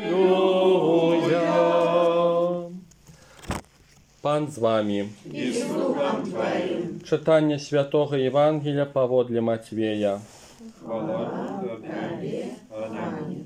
Аллилуйя. Пан з вами. І з Духом Твоїм. Читання Святого Євангелія паводле Матвея. Хвала Тобі. Амінь.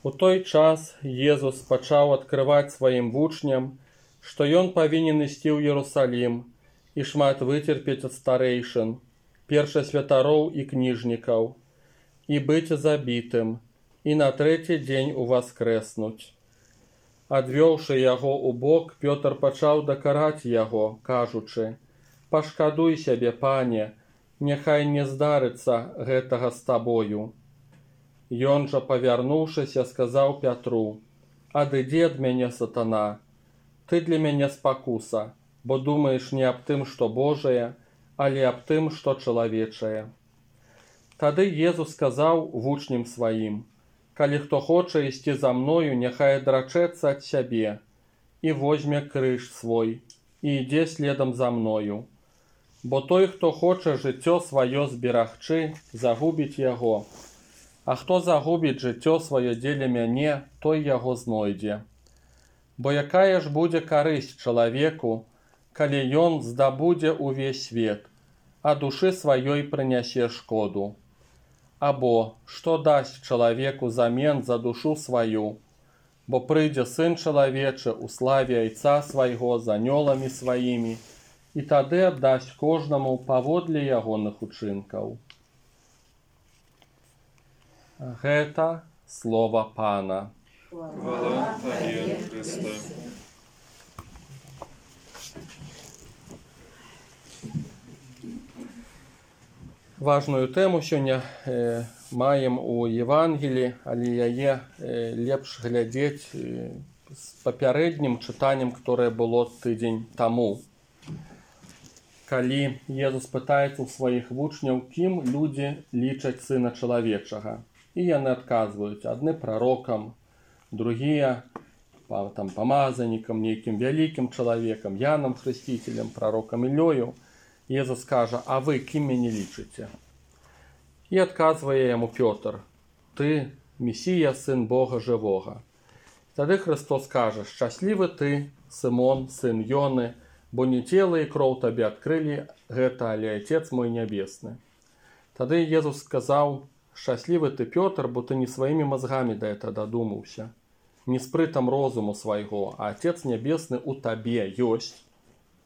У той час Езус пачаў адкрываць сваім вучням, што ён павінен ісці ў Єрусалім і шмат выцерпець ад старэйшын, першасвятароў і кніжнікаў, і быць забітым, і на трэці дзень уваскрэснуць. Адвёўшы яго ў бок, Пётр пачаў дакараць яго, кажучы: «Пашкадуй сябе, пане, няхай не здарыцца гэтага з табою». Ён жа, павярнуўшыся, сказаў Пятру: «Адыдзі ад мяне, сатана, ты для мяне спакуса, бо думаеш не аб тым, што Божае, але аб тым, што чалавечае». Тады Езус сказаў вучням сваім: «Калі хто хоча ісці за мною, няхай адрачэцца ад сябе і возьме крыж свой, і ідзе следам за мною. Бо той, хто хоча жыццё сваё зберагчы, загубіць яго. А хто загубіць жыццё сваё дзеля мяне, той яго знойдзе. Бо якая ж будзе карысць чалавеку, калі ён здабудзе ўвесь свет, а душы сваёй прынясе шкоду? Або што дасць чалавеку замен за душу сваю? Бо прыйдзе Сын чалавечы ў славе Айца свайго з анёламі сваімі, і тады аддасць кожнаму паводле ягоных учынкаў». Гэта слова Пана. Хвала Тобі, Христе. Важную тэму сёння маем у Евангелі, але яе лепш глядзець з папярэднім чытаннем, которое было тыдзень таму. Калі Езус пытаецца ў сваіх вучняў, кім людзі лічаць Сына чалавечага. І яны адказваюць: адны прарокам, другія памазанікам, нейкім вялікім чалавекам, Янам Хрысціцелем, прарокам Ілёю. Езус кажа: «А вы кім мяне лічыце?» І адказвае яму Пётр: «Ты Месія, сын Бога жывога». Тады Христос кажа: «Шчаслівы ты, Сымон, сын Ёны, бо не цела і кроў табе адкрылі гэта, але Отец мой нябесны». Тады Езус сказаў: «Шчаслівы ты, Пётр, бо ты не сваімі мазгамі да гэта дадумаўся, не спрытам розуму свайго, а Отец нябесны ў табе ёсць,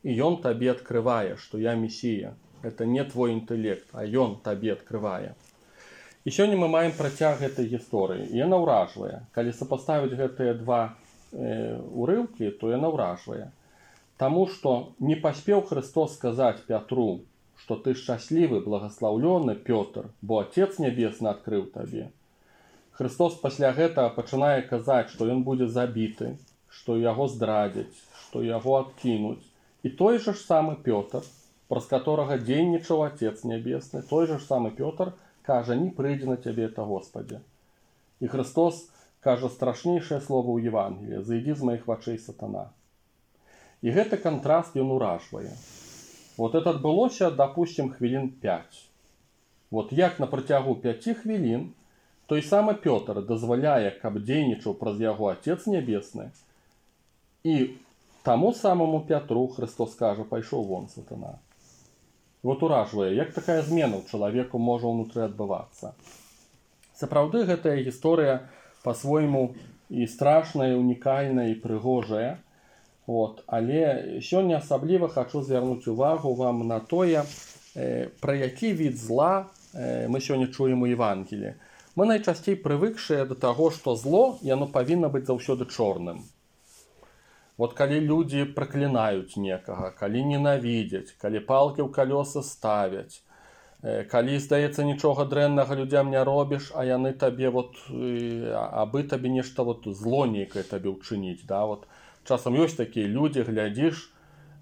і ён табе адкрывае, што я Месія. Это не твой інтэлект, а ён табе адкрывае». І сёння мы маем працяг гэтай гісторыі. І яна ўражвае. Калі сапаставіць гэтыя два урыўкі, то яна ўражвае. Таму што не паспеў Христос сказаць Пятру, што ты шчаслівы, благаслаўлёны, Пётр, бо Отец нябесны адкрыў табе. Христос пасля гэтага пачынае казаць, што ён будзе забіты, што яго здрадзяць, што яго адкінуць. І той жа ж самы Пётр, праз которага дзейнічаў Отец нябесны, той жа ж самы Пётр кажа: «Не прыйдзе на цябе это, Господи». І Христос кажа страшнейшае слово ў Евангеліі: «Зайдзі з маіх вачэй, сатана». І гэты кантраст ён уражвае. Вот это адбылося, допустим, хвілін 5. Вот як на працягу 5 хвілін той самы Пётр дазваляе, каб дзейнічаў праз яго Отец нябесны, і таму самому Пятру Христос кажа: «Пайшоў вон, сатана». Вот уражвае, як такая змена ў чалавеку можа ўнутры адбывацца. Сапраўды гэтая гісторыя па-свойму і страшная, і унікальная, і прыгожая. Вот. Але сёння асабліва хачу звярнуць увагу вам на тое, пра які від зла мы сёння чуем у Евангеліі. Мы найчасцей прывыкшыя да таго, што зло яно павінна быць заўсёды чорным. Вот калі людзі праклінаюць некага, калі ненавідзяць, калі палкі ў калёсы ставяць, калі, здаецца, нічога дрэннага людзям не робіш, а яны табе абы табе нешта зло нейкае табе ўчыніць. Да? Вот. Часам ёсць такія людзі, глядзіш,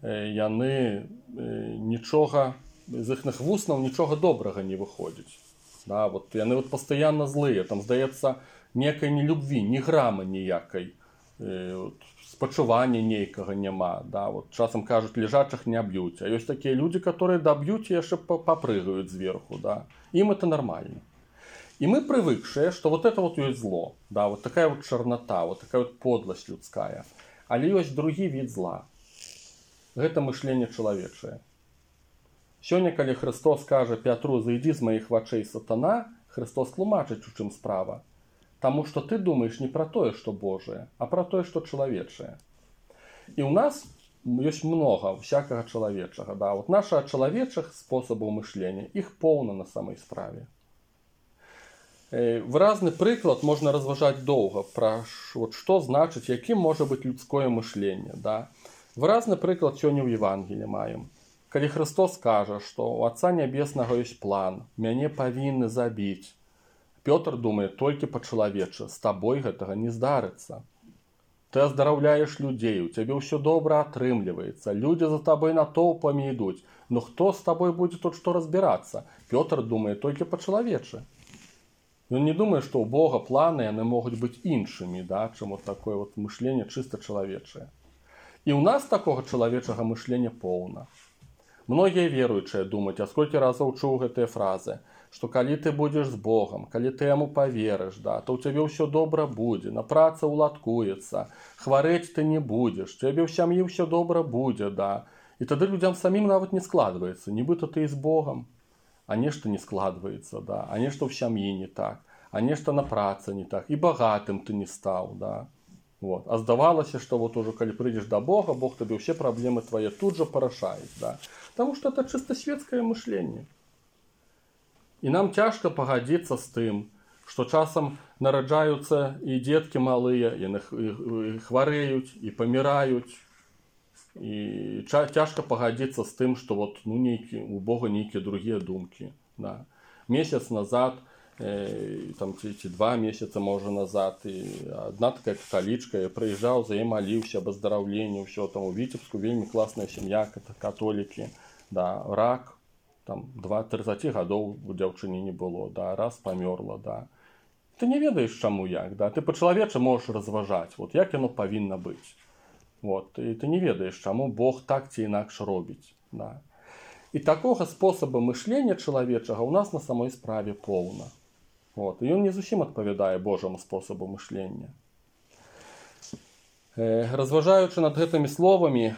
яны нічога, з іхных вуснаў нічога добрага не выходзіць. Да? Вот. Яны пастаянна злыя, там, здаецца, некай нелюбві, ні грама ніякай. Спачування нейкага няма. Да? Вот часам кажуць, лежачых не б'юць. А ёсць такія людзі, которые даб'юць і яшчэ папрыгаюць зверху. Да? Ім это нормально. И мы привыкшие, что вот это вот есть зло, да, вот такая вот чернота, вот такая вот подлость людская. Але есть другий від зла. Гэта мышленне чалавечае. Сёння, калі Христос кажа Пятру: «Зайди з моих вачэй, сатана», Христос тлумачыць, у чым справа. Таму што ты думаеш не пра тое, што Божае, а пра тое, што чалавечае. І ў нас ёсць многа всякага чалавечага. Да? Вот наша чалавечых спосабаў мышлення, іх поўна на самай справе. Выразны прыклад можна разважаць доўга пра вот, што значыць, якім можа быць людское мышленне. Да? Выразны прыклад сёння ў Евангеліі маем. Калі Христос кажа, што у Отца Нябеснага ёсць план, мяне павінны забіць. Пётр думае толькі па-чалавечы, з табой гэтага не здарыцца. Ты аздараўляеш людзей, у цябе ўсё добра атрымліваецца, людзі за табой натоўпамі ідуць. Ну хто з табой будзе тут што разбірацца? Пётр думае толькі па-чалавечы. Ён не думае, што ў Бога планы яны могуць быць іншымі, да, чым вот такое вот мышленне чыста чалавечае. І ў нас такога чалавечага мышлення поўна. Многія веруючыя думаюць, а сколькі разоў чуў гэтыя фразы, што калі ты будзеш з Богом, калі ты яму паверыш, да, то ў цябе ўсё добра будзе, на праца ўладкуецца, хварэць ты не будзеш, цябе ў сям'і ўсё добра будзе, да. І тады людзям самім нават не складваецца, нібыта ты і з Богом, а нешта не складваецца, да, а нешта ў сям'і не так, а нешта на працы не так, і багатым ты не стаў, да. Вот. А здавалася, што вот ужо калі прыйдзеш да Бога, Бог табе ўсе праблемы твае тут жа парашаюць, да. Таму што это чыста светскае мышленне. І нам цяжка пагадзіцца з тым, што часам нараджаюцца і дзеткі малыя, яны хварэюць і паміраюць. І цяжка пагадзіцца з тым, што вот, ну, у Бога нейкія другія думкі. Да. Месяц назад, там, ці 2 месяцы, можа, назад, і адна такая каталічка, я прыязджаў, за яе маліўся об аздараўленні, ўсё там у Віцебску, вельмі класная сям'я, католікі, да, рак. Там 2-30 гадоў у дзяўчыне не было, да, раз памёрла, да. Ты не ведаеш, чаму як, да, ты па-чалавечы можаш разважаць, вот як яно павінна быць. Вот, і ты не ведаеш, чаму Бог так ці інакш робіць, да. І такога спосаба мышлення чалавечага ў нас на самой справе поўна. Вот, і ён не зусім адпавядае Божаму спосабу мышлення. Разважаючы над гэтымі словамі,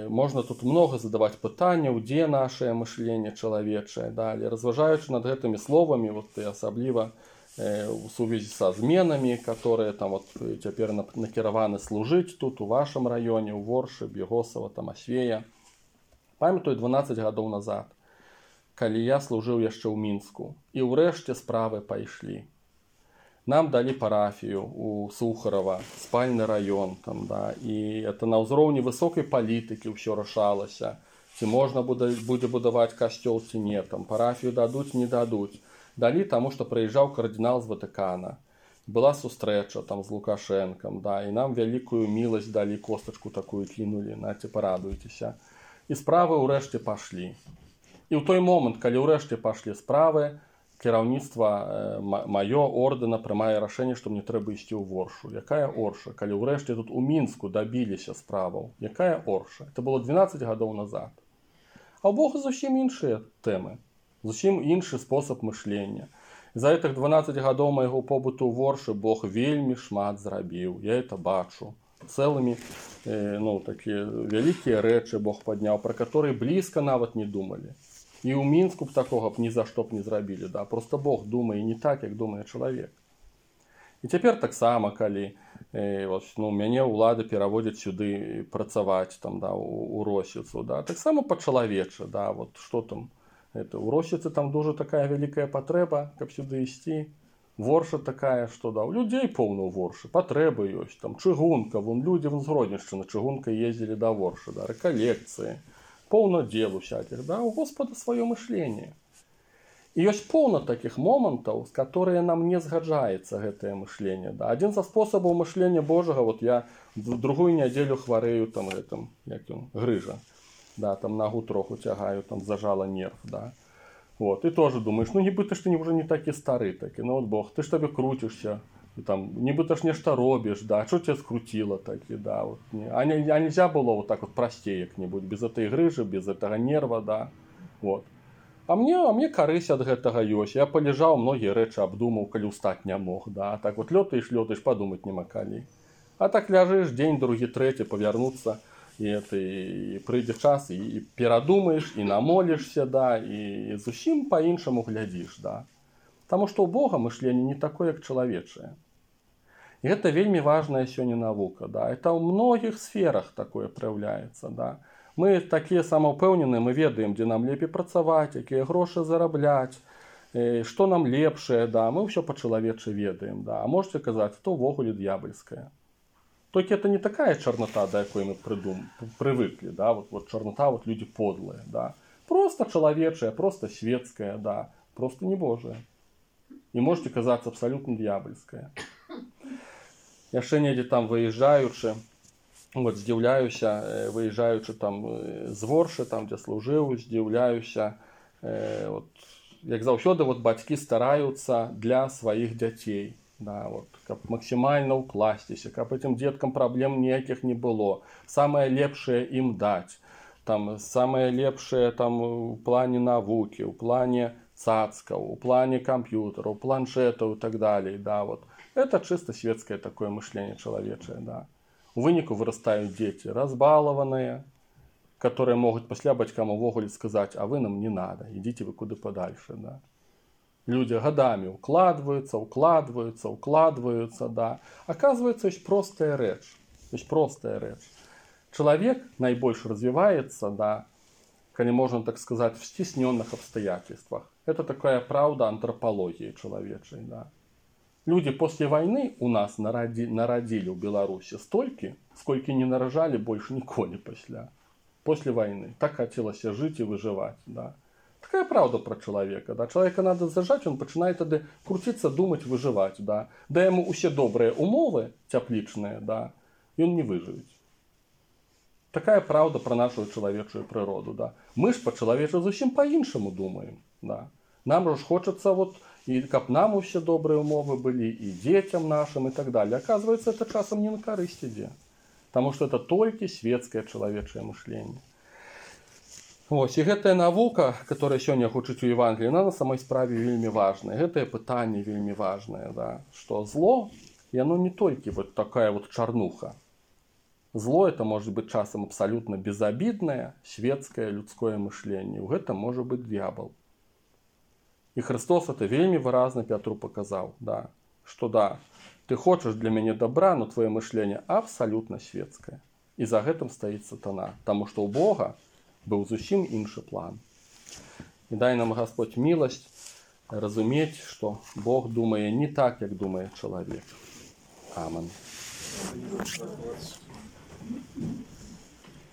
можна тут много задаваць пытанняў, дзе нашае мышленне чалавечае. Але разважаючы над гэтымі словамі, вот, і асабліва у сувязі са зменамі, которые там вот цяпер накіраваны служыць тут, у вашым раёне, у Воршы, Бегосава, там Асвея. Памятаю 12 гадоў назад, калі я служыў яшчэ ў Мінску, і ўрэшце справы пайшлі. Нам далі парафію у Сухарова, спальны раён, там, да, і это на ўзроўні высокай палітыкі ўсё рашалася, ці можна будзе будаваць касцёл, ці не, там, парафію дадуць, не дадуць. Далі таму, што прыязджаў кардынал з Ватыкана. Была сустрэча там з Лукашэнкам, да, і нам вялікую міласць далі, костачку такую кінулі, наце, парадуйцеся. І справы ўрэшце пашлі. І ў той момант, калі ўрэшце пашлі справы, кіраўніцтва маё ордэна прымае рашэнне, што мне трэба ісці ў Воршу. Якая Орша? Калі ўрэшце тут у Мінску дабіліся справаў. Якая Орша? Это было 12 гадоў назад. А ў Бога зусім іншыя тэмы. Зусім іншы спосаб мышлення. За гэтых 12 гадоў майго побыту ў Воршы Бог вельмі шмат зрабіў. Я это бачу. Цэлымі, ну, такія вялікія рэчы Бог падняў, пра которые блізка нават не думалі. І ў Мінску б такога б ні за што б не зрабілі. Да? Просто Бог думае не так, як думае чалавек. І цяпер таксама, калі ну, мяне ўлады пераводзяць сюды працаваць там, да, у Росіцу, да? Таксама па-чалавечы. Да? Вот, што там? У Росіцы там дуже такая вялікая патрэба, каб сюды ісці. Ворша такая, што да, у людзей поўна ў Воршы, патрэбы ёсць. Там чыгунка, вон людзі з Гродненшчыны чыгункай ездзілі да Воршы, да? Рэкалекцыі. Поўна дел усяких, да, у Господа свое мышление. І ёсць поўна таких момантаў, з которые нам не згаджаецца гэтае мышление. Да. Адзін са спосабаў мышлення Божага, вот я другую нядзелю хварэю там гэтым, як ён, грыжа, да, там нагу троху цягаю, там зажала нерв, да. Вот, і тоже думаешь, ну нібыта ж ты уже не такі стары, такі, ну от Бог, ты ж табе круцішся, там, нібыта ж нешта робіш, да, что тебя скрутило таки, да, вот, а нельзя было вот так вот простей як-нибудь, без этой грыжи, без этого нерва, да, вот. А мне карысць ад гэтага ёсць. Я паляжаў, многія рэчы абдумаў, калі ўстаць не мог. Да? Так вот лётаеш, падумаць няма калі. А так ляжыш дзень, другі, трэці, павярнуцца, і прыйдзе час, і перадумаеш, і намолішся, да, і зусім па-іншаму глядзіш. Да? Таму што ў Бога мышленне не такое, як чалавечае. І гэта вельмі важная сёння навука. Да? Это ў многіх сферах такое праяўляецца. Да? Мы такія самаўпэўненыя, мы ведаем, дзе нам лепей працаваць, якія грошы зарабляць, што нам лепшае, да? Мы ўсё па-чалавечы ведаем. Да? А можете казаць, што ўвогуле д'ябальскае. Только это не такая чернота, до якой мы привыкли, да, вот чернота, вот люди подлые, да. Просто человечая, просто светская, да, просто не Божия. И можете казаться абсолютно дьявольская. Яшчэ недзе там выезжаючы, вот здзіўляюся, выезжаючы там з Воршы, там дзе служыў, здзіўляюся, вот, як заўсёды вот бацькі стараюцца для сваіх дзяцей. Да, вот, каб максімальна ўкласціся, каб этим деткам праблем ніякіх не было. Самае лепшае ім даць. Там, самае лепшае там, у плане навукі, у плане цацкаў, у плане камп'ютараў, планшетаў і так далее. Да, вот. Это чисто светское такое мышление человечее. Да. У выніку вырастаюць дзеці разбалаваныя, которые могуць пасля бацькам увогуле сказаць, а вы нам не надо, ідзіце вы куды падальше. Да. Люди годами укладываются, да. Оказывается, есть простая речь. Человек наибольше развивается, да, коли можно так сказать, в стесненных обстоятельствах. Это такая правда антропологии человечей, да. Люди после войны у нас народили в Беларуси столько, сколько не нарожали больше ніколі после войны. Так хотелось жить и выживать, да. Такая правда про человека. Да? Человека надо зажать, он начинает тогда крутиться, думать, выживать. Да? Дай ему все добрые умовы, тепличные, да, и он не выживет. Такая правда про нашу человеческую природу. Да? Мы ж по-человечески зовсім по-іншому думаем. Да? Нам же хочется, вот, и как нам все добрые умовы были, и детям нашим, и так далее. Оказывается, это часом не на корысть иде. Потому что это только светское человеческое мышление. Ось, і гэтая навука, которая сёння гучыць у Евангелии, она на самой справе вельмі важная. Гэтае пытанне вельмі важнае, да? Что зло, и оно не только вот такая вот чарнуха. Зло это может быть часом абсолютно безобидное, светское, людское мышление. У гэта может быть дьявол. И Христос это вельмі выразна Петру показал, да? Что да, ты хочешь для меня добра, но твое мышление абсолютно светское. И за гэтым стоит сатана. Потому что у Бога быў зусім іншы план. І дай нам Господь милость разумець, што Бог думае не так, як думае чалавек. Амин.